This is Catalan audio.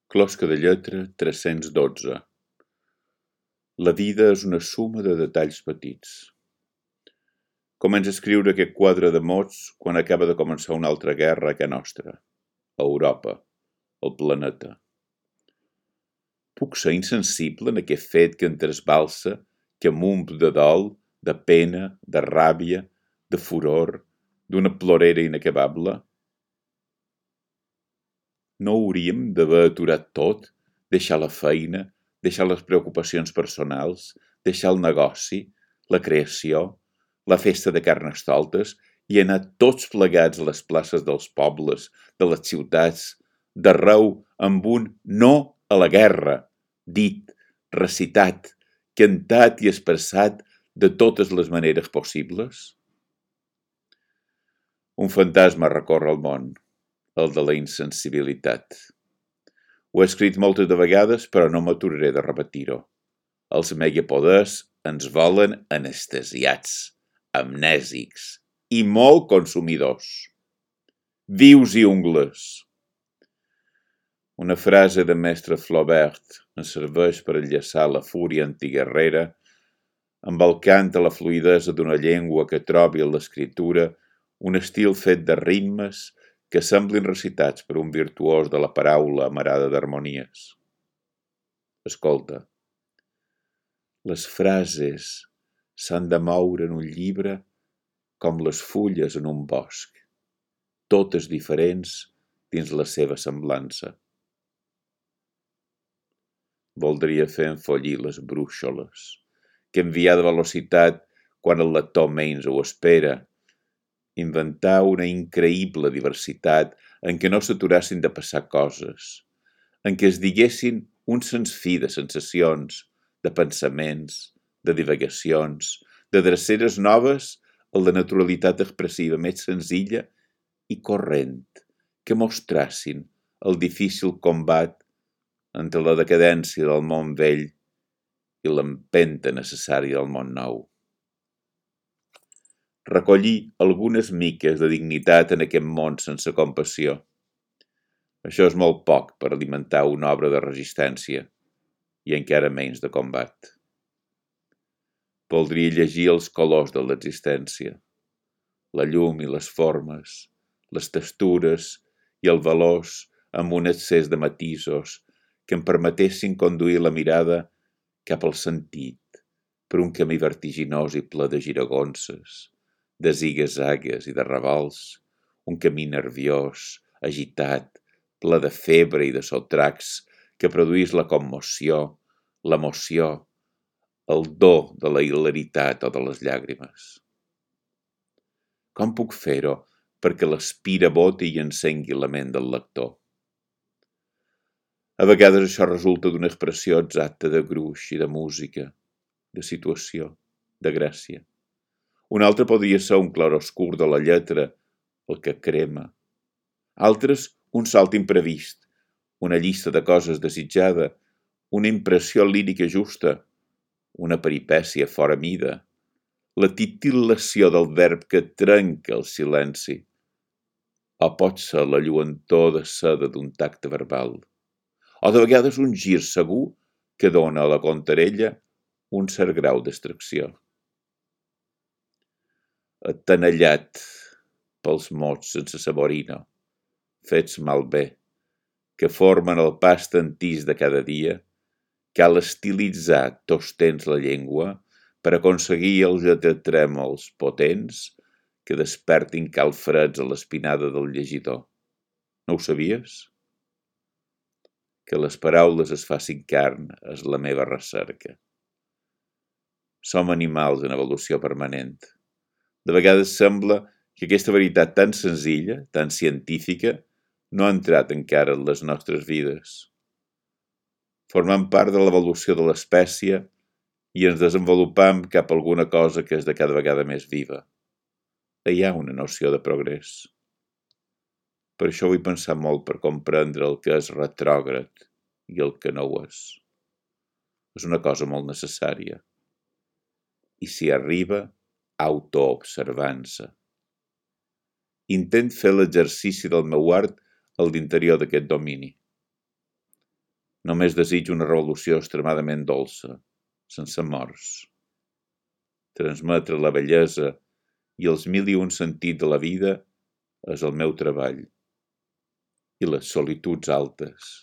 Closca de lletra 312. La vida és una suma de detalls petits. Comença a escriure aquest quadre de mots quan acaba de començar una altra guerra a casa nostra, a Europa, al planeta. Puc ser insensible en aquest fet que em trasbalsa, que m'omp de dol, de pena, de ràbia, de furor, d'una plorera inacabable? No hauríem d'haver aturat tot, deixar la feina, deixar les preocupacions personals, deixar el negoci, la creació, la festa de carnestoltes i anar tots plegats a les places dels pobles, de les ciutats, d'arreu amb un no a la guerra, dit, recitat, cantat i expressat de totes les maneres possibles? Un fantasma recorre el món, el de la insensibilitat. Ho he escrit moltes de vegades, però no m'aturaré de repetir-ho. Els megapoders ens volen anestesiats, amnèsics i molt consumidors. Vius i ungles. Una frase de mestre Flaubert ens serveix per enllaçar la fúria antiguerrera amb el cant a la fluïdesa d'una llengua que trobi en l'escriptura un estil fet de ritmes que semblin recitats per un virtuós de la paraula amarada d'harmonies. Escolta, les frases s'han de moure en un llibre com les fulles en un bosc, totes diferents dins la seva semblança. Voldria fer enfollir les brúixoles, que enviar de velocitat quan el lector menys ho espera, inventar una increïble diversitat en què no s'aturassin de passar coses, en què es diguessin un sens fi de sensacions, de pensaments, de divagacions, de dreceres noves a la naturalitat expressiva més senzilla i corrent, que mostrassin el difícil combat entre la decadència del món vell i l'empenta necessària del món nou. Recollir algunes miques de dignitat en aquest món sense compassió. Això és molt poc per alimentar una obra de resistència i encara menys de combat. Voldria llegir els colors de l'existència, la llum i les formes, les textures i el valors amb un excés de matisos que em permetessin conduir la mirada cap al sentit per un camí vertiginós i ple de giragonses, de zigue-zagues i de revolts, un camí nerviós, agitat, ple de febre i de sotracs que produís la commoció, l'emoció, el do de la hilaritat o de les llàgrimes. Com puc fer-ho perquè l'espira boti i encengui la ment del lector? A vegades això resulta d'una expressió exacta de gruix i de música, de situació, de gràcia. Un altre podria ser un clarobscur de la lletra, el que crema. Altres, un salt imprevist, una llista de coses desitjada, una impressió lírica justa, una peripècia fora mida, la titil·lació del verb que trenca el silenci, o pot ser la lluentor de seda d'un tacte verbal, o de vegades un gir segur que dona a la contarella un cert grau d'extracció. Atenellat pels mots sense saborina, fets malbé, que formen el past entís de cada dia, cal estilitzar tots temps la llengua per aconseguir els lletratrèmols potents que despertin calfreds a l'espinada del llegidor. No ho sabies? Que les paraules es facin carn és la meva recerca. Som animals en evolució permanent. De vegades sembla que aquesta veritat tan senzilla, tan científica, no ha entrat encara en les nostres vides. Formem part de l'evolució de l'espècie i ens desenvolupam cap a alguna cosa que és de cada vegada més viva. Hi ha una noció de progrés. Per això vull pensar molt per comprendre el que és retrògrad i el que no ho és. És una cosa molt necessària. I si arriba, autoobservança. Intent fer l'exercici del meu art a l'interior d'aquest domini. Només desitjo una revolució extremadament dolça, sense morts. Transmetre la bellesa i els 1001 sentits de la vida és el meu treball. I les solituds altes